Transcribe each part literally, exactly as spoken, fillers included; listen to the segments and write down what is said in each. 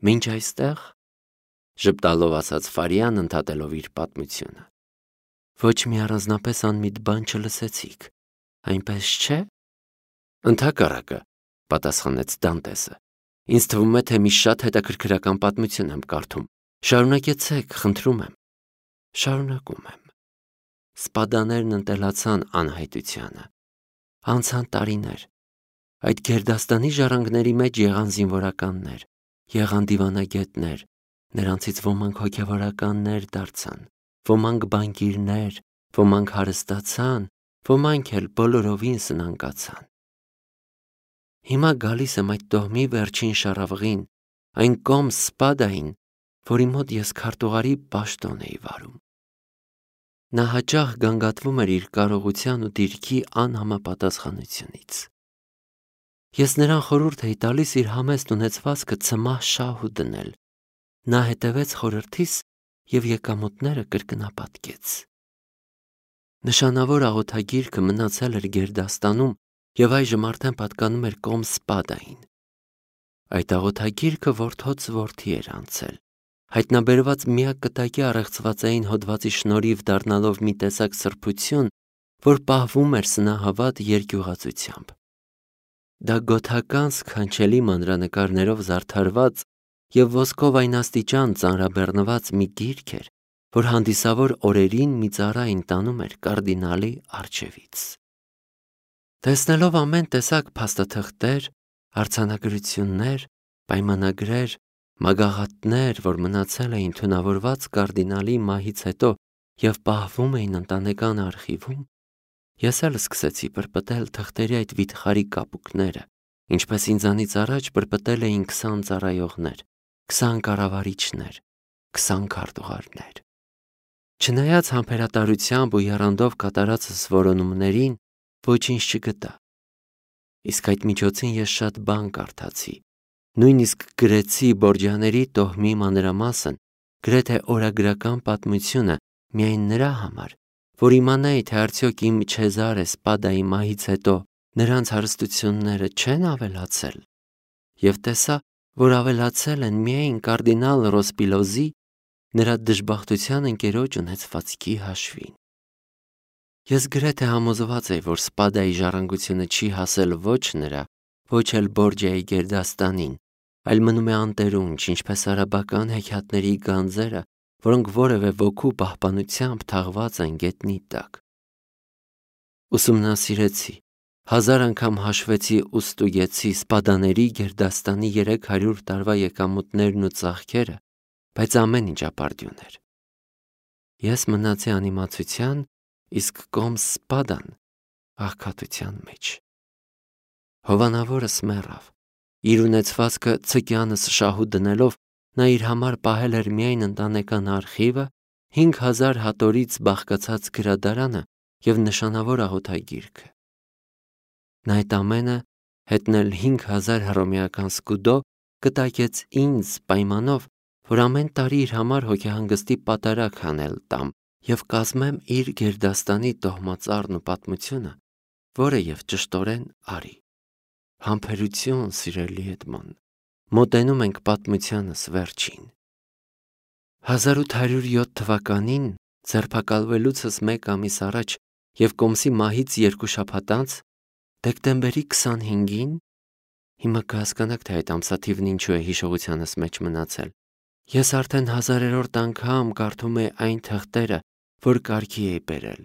Մինչ այստեղ, ժպտալով ասաց Ֆարիան, ընդհատելով իր պատմությունը, ոչ մի առանձնապես անմիտ բան չլսեցիք, այնպես չէ՞։ Ընդհակառակը, պատասխանեց Դանտեսը, ինձ թվում է, թե մի շատ հետաքրքրական պատմություն եմ կարդում, շարունակեցեք, խնդրում եմ։ Շարունակում եմ։ Սպադաներն ընտելացան անհայտությանը, անցան տարիներ, այդ գերդաստանի ժառանգների մեջ եղան զինվորականներ, եղան դիվանագետներ, նրանցից ոմանք հոգևորականներ դարձան, ոմանք բանկիրներ, ոմանք հարստացան, ոմանք էլ բոլորովին սնանկացան։ Հիմա գալիս եմ այդ տոհմի վերջին շառավղին, այն կոմ Սպադային, որի մոտ ես քարտուղարի պաշտոն էի վարում։ Նա հաճախ գանգատվում էր իր կարողության ու դիրքի անհամապատասխանությունից։ Ես նրան խորհուրդ էի տալիս իր համեստ ունեցվածքը ցմահ շահու դնել։ Նա հետևեց խորհրդիս և եկամուտները կրկնապատկեց։ Նշանավոր աղոթագիրքը մնացել էր գերդաստանում և այժմ արդեն պատկանում էր կոմ Սպադային։ Այդ աղոթագիրքը որդոց որդի էր անցել, հայտնաբերված միակ կտակի առեղծվածային հոդվածի շնորհիվ դառնալով մի տեսակ սրբություն, որ պահվում էր սնահավատ երկյուղածությամբ։ Դա գոթական սքանչելի մանրանկարներով զարդարված և ոսկով այն աստիճան ծանրաբեռնված մի գիրք էր, որ հանդիսավոր օրերին մի ծառային տանում էր կարդինալի առջևից։ Տեսնելով ամեն տեսակ փաստաթղթեր, արձանագրություններ, պայմանագրեր, մագաղաթներ, որ մնացել էին թունավորված կարդինալի մահից հետո և պահվում էին ընտանեկան արխիվում, ես էլ սկսեցի պրպտել թղթերի այդ վիթխարի կապուկները, ինչպես ինձանից առաջ պրպտել էին քսան ծառայողներ, քսան կառավարիչներ, քսան քարտուղարներ։ Չնայած համբերատարությամբ ու եռանդով կատարածս որոնումներին, ոչինչ չգտա։ Իսկ այդ միջոցին ես շատ բան կարդացի, նույնիսկ գրեցի Բորջաների տոհմի մանրամասն, գրեթե օրագրական պատմությունը միայն նրա համար, որ իմանայի, թե արդյոք իմ Չեզարե Սպադայի մահից հետո նրանց հարստությունները չեն ավելացել, և տեսա, որ ավելացել են միայն կարդինալ Ռոսպիլոզի, նրա դժբախտության ընկերոջ ունեցվածքի հաշվին։ Ես գրեթե համոզված էի, որ Սպադայի ժառանգությունը չի հասել ոչ նրա, ոչ էլ Բորջայի գերդաստանին, այլ մնում է անտերունջ, ինչպես արաբական հեքիաթների գանձերը, որոնք որևէ ոգու պահպանությամբ թաղված են գետնի տակ։ Ուսումնասիրեցի, հազար անգամ հաշվեցի ու ստուգեցի Սպադաների գերդաստանի երեք հարյուր տարվա եկամուտներն ու ծախքերը, բայց ամեն ինչ ապարդյուն էր։ Ես մնացի անիմացության, իսկ կոմ Սպադան աղքատության մեջ։ Հովանավորս մեռավ։ Իր ունեցվածքը ցկյանս շահու դնելով նա իր համար պահել էր միայն ընտանեկան արխիվը, հինգ հազար հատորից բաղկացած գրադարանը և նշանավոր աղոթագիրքը։ Նա այդ ամենը, հետն էլ հինգ հազար հռոմեական սկուդո, կտակեց ինձ պայմանով, որ ամեն տարի իր համար հոգեհանգստի պատարագ հանել տամ և կազմեմ իր գերդաստանի տոհմածառն ու պատմությունը, որը և ճշտորեն արի։ Համբերություն, սիրելի Էդմոն, մոտենում ենք պատմությանս վերջին։ հազար ութ հարյուր յոթ թվականին, ձերբակալվելուցս մեկ ամիս առաջ և կոմսի մահից երկու շաբաթ անց, դեկտեմբերի քսանհինգին, հիմա կհասկանաք, թե այդ ամսաթիվն ինչու է հիշողությանս մեջ մնացել, ես արդեն հազարերորդ անգամ կարդում էի այն թղթերը, որ կարգի էի բերել։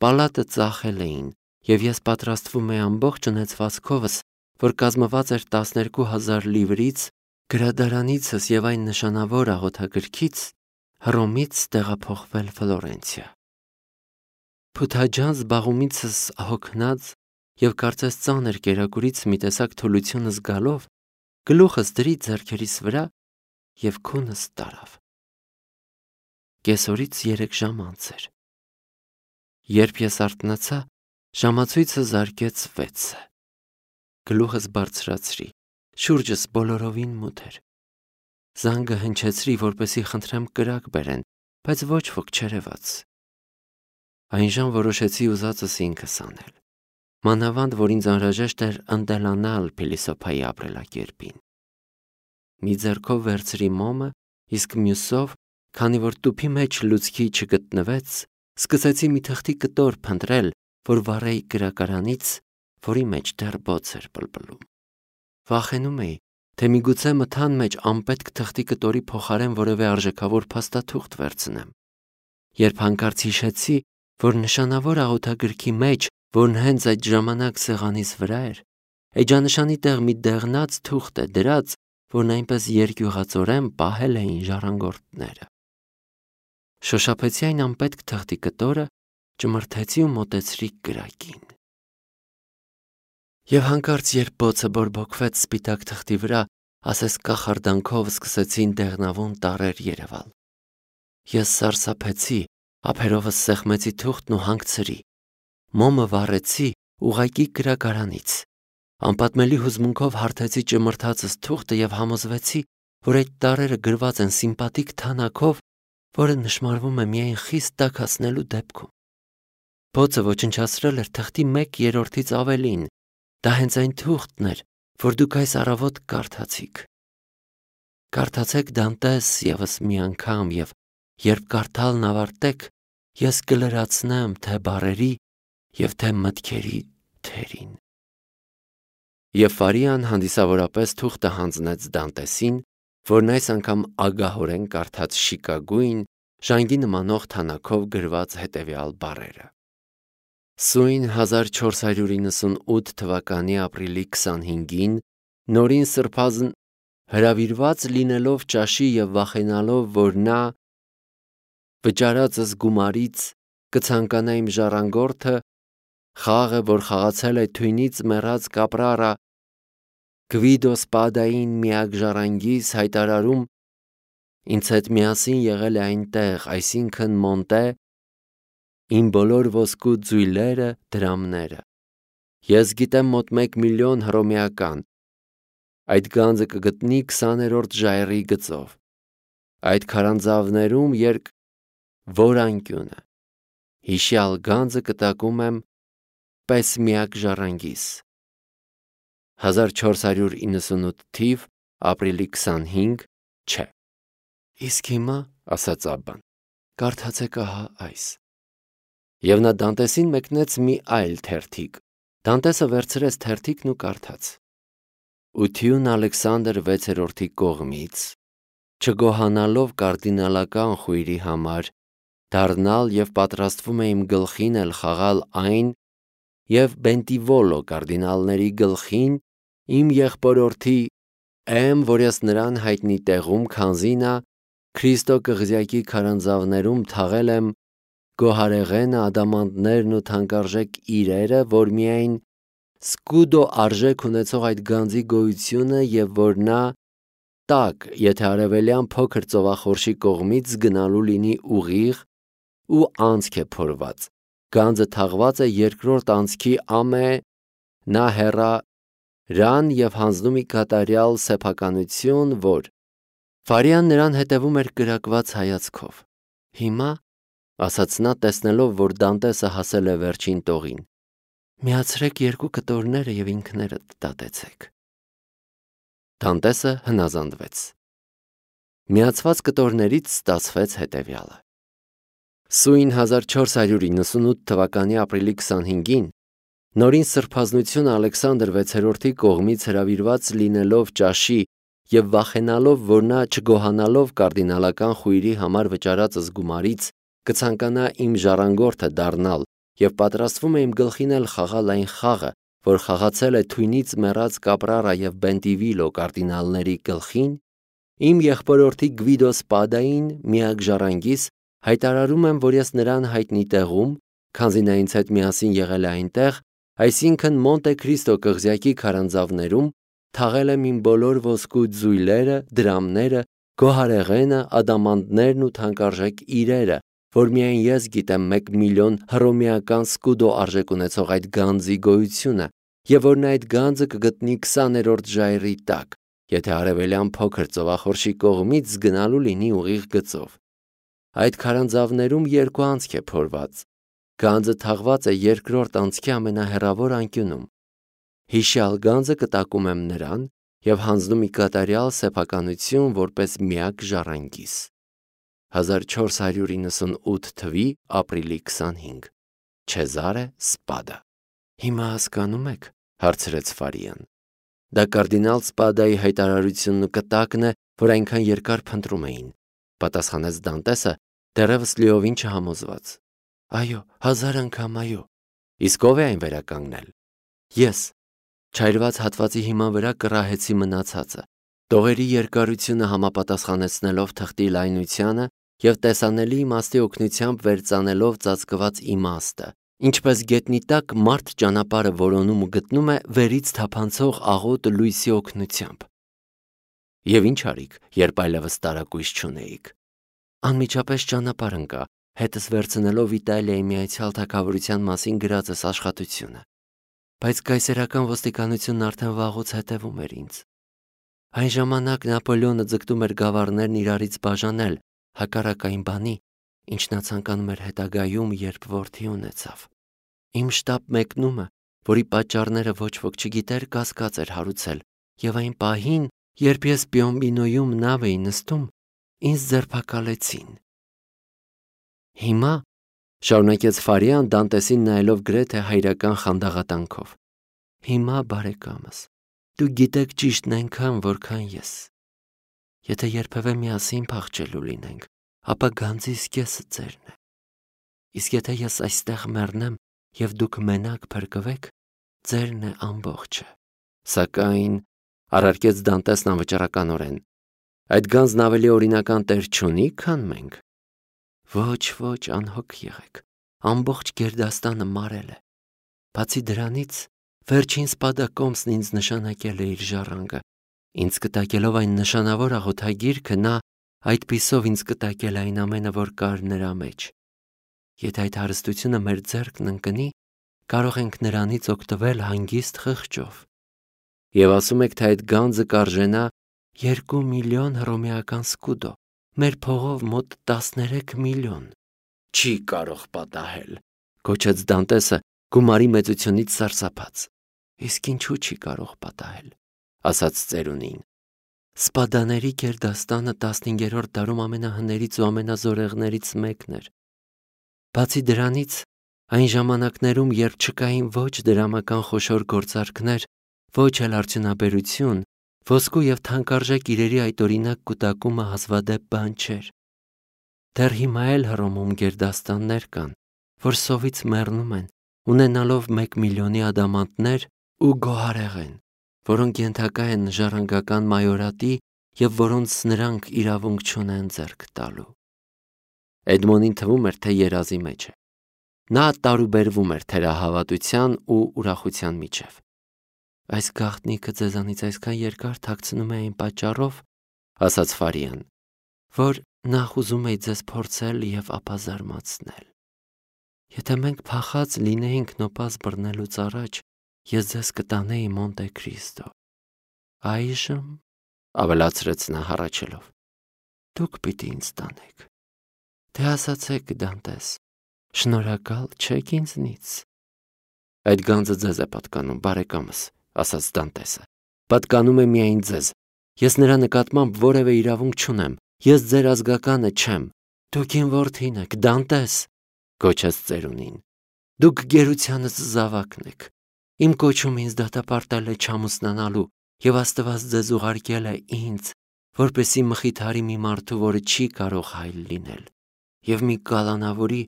Պալատը ծախել էին, և ես պատրաստվում էի ամբողջ ունեցվածքովս, որ կազմված էր տասներկու հազար լիվրից, գրադարանիցս և այն նշանավոր աղոթագրքից, Հռոմից տեղափոխվել Ֆլորենցիա։ Փութաջան զբաղումիցս հոգնած և կարծես ծանր կերակուրից մի տեսակ թուլություն զգալով, գլուխս դրի ձեռքերիս վրա և քունս տարավ։ Կեսօրից երեք ժամ անց էր։ Երբ ես արթնացա, ժամացույցը զարկեց վեցը։ Գլուխս բարձրացրի, շուրջս բոլորովին մութ էր։ Զանգը հնչեցրի, որպեսզի խնդրեմ կրակ բերեն, բայց ոչ ոք չերևաց։ Այնժամ որոշեցի ուզածս ինքս անել, մանավանդ որ ինձ անհրաժեշտ էր ընտելանալ փիլիսոփայի ապրելակերպին։ մի ձեռքով վերցրի մոմը, իսկ մյուսով, քանի որ տուփի մեջ լուցկի չգտնվեց, սկսեցի մի թղթի կտոր փնտրել, որ վառեի կրակարանից, որի մեջ դեռ բոց էր պլպլում։ Վախենում էի, թե միգուցե մթան մեջ անպետք թղթի կտորի փոխարեն որևէ արժեքավոր փաստաթուղթ վերցնեմ։ Երբ հանկարծ հիշեցի, որ նշանավոր աղոթագրքի մեջ, որն հենց այդ ժամանակ սեղանիս վրա էր, էջանշանի տեղ մի դեղնած թուղթ է դրած, որն այնպես երկյուղածորեն պահել էին ժառանգորդները։ Շոշափեցի այն անպետք թղթի կտորը, ճմրթեցի ու մոտեցրի կրակին։ Եվ հանկարծ երբ բոցը բորբոքվեց սպիտակ թղթի վրա, ասես կախարդանքով սկսեցին դեղնավուն տառեր երևալ։ Ես սարսափեցի, ափերովս սեղմեցի թուղթն ու հանգցրի։ Մոմը վառեցի ուղղակի կրակարանից։ Անպատմելի հուզմունքով հարթեցի ճմրթածս թուղթը և համոզվեցի, որ այդ տառերը գրված են սիմպատիկ թանաքով, որը նշմարվում է միայն խիստ տաքացնելու դեպքում։ Բոցը ոչնչացրել էր թղթի մեկ երրորդից ավելին։ Դա հենց այն թուղթն էր, որ դուք այս առավոտ կարդացիք։ Կարդացեք Դանտես ևս մի անգամ և երբ կարդալն ավարտեք, ես կլրացնեմ թե բառերի և թե մտքերի թերին։ Եվ Ֆարիան հանդիսավորապես թուղթը հանձնեց Դանտեսին, որն այս անգամ ագահորեն կարդաց շիկագույն, ժանգի նմանող թանաքով գրված հետևյալ բառերը. Սույն հազար չորս հարյուր իննսունութ թվականի ապրիլի քսանհինգին նորին սրբազն հրավիրված լինելով ճաշի և վախենալով, որ նա վճարածս գումարից կցանկանա իմ ժառանգորդը, խաղը, որ խաղացել է թույնից մեռած կապրարա, Գվիդո Սպադային միակ ժառանգիս հայտարարում, ինձ հետ միասին եղել է այնտեղ, այսինքն Մոնտե, իմ բոլոր ոսկու ձույլերը, դրամները։ Ես գիտեմ մոտ մեկ միլիոն հռոմեական։ Այդ գանձը կգտնի քսաներորդ ժայռի գծով։ Այդ քարանձավներում երկ որ անկյունը։ Հիշյալ գանձը կտակում եմ պես միակ ժառանգիս։ հազար չորս հարյուր իննսունութ թիվ, ապրիլի քսանհինգ, չէ։ Իսկ հիմա, ասաց Աբբան, կարդացեք ահա այս։ Եվ նա Դանտեսին մեկնեց մի այլ թերթիկ։ Դանտեսը վերցրեց թերթիկն ու կարդաց. Ություն Ալեքսանդր վեցերորդի կողմից, չգոհանալով կարդինալական խույրի համար, դառնալ և պատրաստվում է իմ գլխին էլ խաղալ այն և Բենտիվոլո կարդինալների գլխին իմ եղբորորդի եմ, որ ես նրան հայտնի տեղում, քանզի նա Քրիստո կղզյակի քարանձավներում թաղել եմ գոհարեղենը, ադամանդներն ու թանկարժեք իրերը, որ միայն սկուդո արժեք ունեցող այդ գանձի գոյությունը և որ նա տակ, եթե արևելյան փոքր ծովախորշի կողմից գնալու լինի ուղիղ ու անցք է փորված, գանձը թաղված է երկրորդ անցքի ամե, նա հեռա ռան և հանձնում ի կատարյալ սեփականություն, որ Ֆարիան նրան հետևում էր կրակված հայացքով։ Հիմա, ասաց նա, տեսնելով, որ Դանտեսը հասել է վերջին տողին, միացրեք երկու կտորները և ինքներդ դատեցեք։ Դանտեսը հնազանդվեց։ Միացված կտորներից ստացվեց հետևյալը. Սույն հազար չորս հարյուր իննսունութ թվականի ապրիլի քսանհինգին նորին սրբազնություն Ալեքսանդր վեցերորդի կողմից հրավիրված լինելով ճաշի և վախենալով, որ նա չգոհանալով կարդինալական խույրի համար վճարածս գումարից կցանկանա իմ ժառանգորդը դառնալ և պատրաստվում է իմ գլխին էլ խաղալ այն խաղը, որ խաղացել է թույնից մեռած կապրարա և Բենտիվիլո կարդինալների գլխին, իմ եղբորորդի Գվիդո Սպադային միակ ժառանգիս հայտարարում եմ, որ ես նրան հայտնի տեղում, քանզի նա ինձ հետ միասին եղել է այնտեղ, այսինքն Մոնտե Քրիստո կղզյակի քարանձավներում թաղել եմ իմ բոլոր ոսկու ձույլերը, դրամները, գոհարեղենը, ադամանդներն ու թանկարժեք իրերը, որ միայն ես գիտեմ մեկ միլիոն հռոմեական սկուդո արժեք ունեցող այդ գանձի գոյությունը և որ նա այդ գանձը կգտնի քսաներորդ ժայռի տակ, եթե արևելյան փոքր ծովախորշի կողմից գնալու լինի ուղիղ գծով։ Այդ քարանձավներում երկու անցք է փորված, գանձը թաղված է երկրորդ անցքի ամենահեռավոր անկյունում։ Հիշյալ գանձը կտակում եմ նրան և հանձնում ի կատարյալ սեփականություն որպես միակ ժառանգիս։ հազար չորս հարյուր իննսունութ թվականի ապրիլի քսանհինգ Չեզարե Սպադա։ Հիմա հասկանում եք, հարցրեց Ֆարիան։ Դա կարդինալ Սպադայի հայտարարությունն ու կտակն է, որ այնքան երկար փնտրում էին, պատասխանեց Դանտեսը, դեռևս լիովին չհամոզված։ Այո, հազար անգամ այո։ Իսկ ով է այն վերականգնել։ Ես։ Չայրված հատվածի հիման վրա կռահեցի մնացածը, տողերի երկարությունը համապատասխանեցնելով թղթի լայնությանը և տեսանելի իմաստի օգնությամբ վերծանելով ծածկված իմաստը, ինչպես գետնի տակ մարդ ճանապարհը որոնում ու գտնում է վերից թափանցող աղոտ լույսի օգնությամբ։ Եվ ինչ արիք, երբ այլևս տարակույս չունեիք։ Անմիջապես ճանապարհ ընկա, հետս վերցնելով Իտալիայի Միացյալ Թագավորության մասին գրածս աշխատությունը։ Բայց կայսերական ոստիկանությունն արդեն վաղուց հետևում էր ինձ։ Այն ժամանակ Նապոլեոնը ձգտում էր գավառներն իրարից բաժանել, հակառակ այն բանի, ինչ նա ցանկանում էր հետագայում, երբ որդի ունեցավ։ Իմ շտապ մեկնումը, որի պատճառները ոչ ոք չգիտեր, կասկած էր հարուցել, և այն պահին, երբ ես Պիոմբինոյում նավ էի նստում, ինձ ձերբակալեցին։ Հիմա, շարունակեց Ֆարիան Դանտեսին նայելով գրեթե հայրական խանդաղատանքով, հիմա, բարեկամս, դուք գիտեք ճիշտն այնքան, որքան ես։ Եթե երբևէ միասին փախչելու լինենք, ապա գանձիս կեսը ձերն է։ Իսկ եթե ես այստեղ մեռնեմ և դուք մենակ փրկվեք, ձերն է ամբողջը։ Սակայն, առարկեց Դանտեսն անվճռականորեն, այդ գանձն ավելի օրինական տեր չունի, քան մենք։ Ոչ, ոչ, անհոգ եղեք, ամբողջ գերդաստանը մարել է։ Բացի դրանից, վերջին Սպադա կոմսն ինձ նշանակել է իր ժառանգը, ինձ կտակելով այն նշանավոր աղոթագիրքը, նա այդպիսով ինձ կտակել այն ամենը, որ կար նրա մեջ։ Եթե այդ հարստությունը մեր ձեռքն ընկնի, կարող ենք նրանից օգտվել հանգիստ խղճով։ Եվ ասում եք, թե այդ գանձը կարժենա երկու միլիոն հռոմեական սկուդո, մեր փողով մոտ տասներեք միլիոն։ Չի կարող պատահել, գոչեց Դանտեսը գումարի մեծությունից սարսափած։ Իսկ ինչու չի կարող պատահել, ասաց ծերունին։ Սպադաների գերդաստանը տասնհինգերորդ դարում ամենահներից ու ամենազորեղներից մեկն էր։ Բացի դրանից, այն ժամանակներում, երբ չկային ոչ դրամական խոշոր գործարքներ, ոչ էլ արդյունաբերություն, ոսկու և թանկարժեք իրերի այդօրինակ կուտակումը հազվադեպ բան չէր։ Դեռ հիմա էլ Հռոմում գերդաստաններ կան, որ սովից մեռնում են, ունենալով մեկ միլիոնի ադամանդներ ու գոհարեղեն, որոնք ենթակա են ժառանգական մայորատի և որոնց նրանք իրավունք չունեն ձեռք տալու։ Էդմոնին թվում էր, թե երազի մեջ է։ Նա տարուբերվում էր թերահավատության ու ուրախության միջև։ Այս գաղտնիքը ձեզանից այսքան երկար թաքցնում է այն պատճառով, ասաց Ֆարիան, որ նախ ուզում էի ձեզ փորձել և ապա զարմացնել։ Եթե մենք փախած լինեինք նոպազ բռնելուց առաջ, ես ձեզ կտանեի Մոնտե Քրիստո։ Այժմ, ավելացրեց նա հառաչելով, դուք պիտի ինձ տանեք։ Թե ասացեք, Դանտես, շնորհակալ չեք ինձնից։ Այդ գանձը ձեզ է պատկանում, բարեկամս, ասաց Դանտեսը։ Պատկանում է միայն ձեզ։ Ես նրա նկատմամբ որևէ իրավունք չունեմ։ Ես ձեր ազգականը չեմ։ Դուք իմ որդին եք, Դանտես, գոչեց ծերունին։ Դուք գերությանս զավակն եք։ Իմ կոչում ինձ դատապարտել է չամուսնանալու, և Աստված ձեզ ուղարկել է ինձ, որպեսզի մխիթարի մի մարդու, որը չի կարող հայլ լինել, և մի կալանավորի,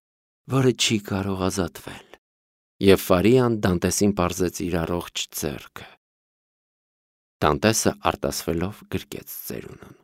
որը չի կարող ազատվել։ Եվ Ֆարիան Դանտեսին պարզեց իր առողջ ձեռքը։ Դանտեսը արտասվելով գրկեց ծերունուն։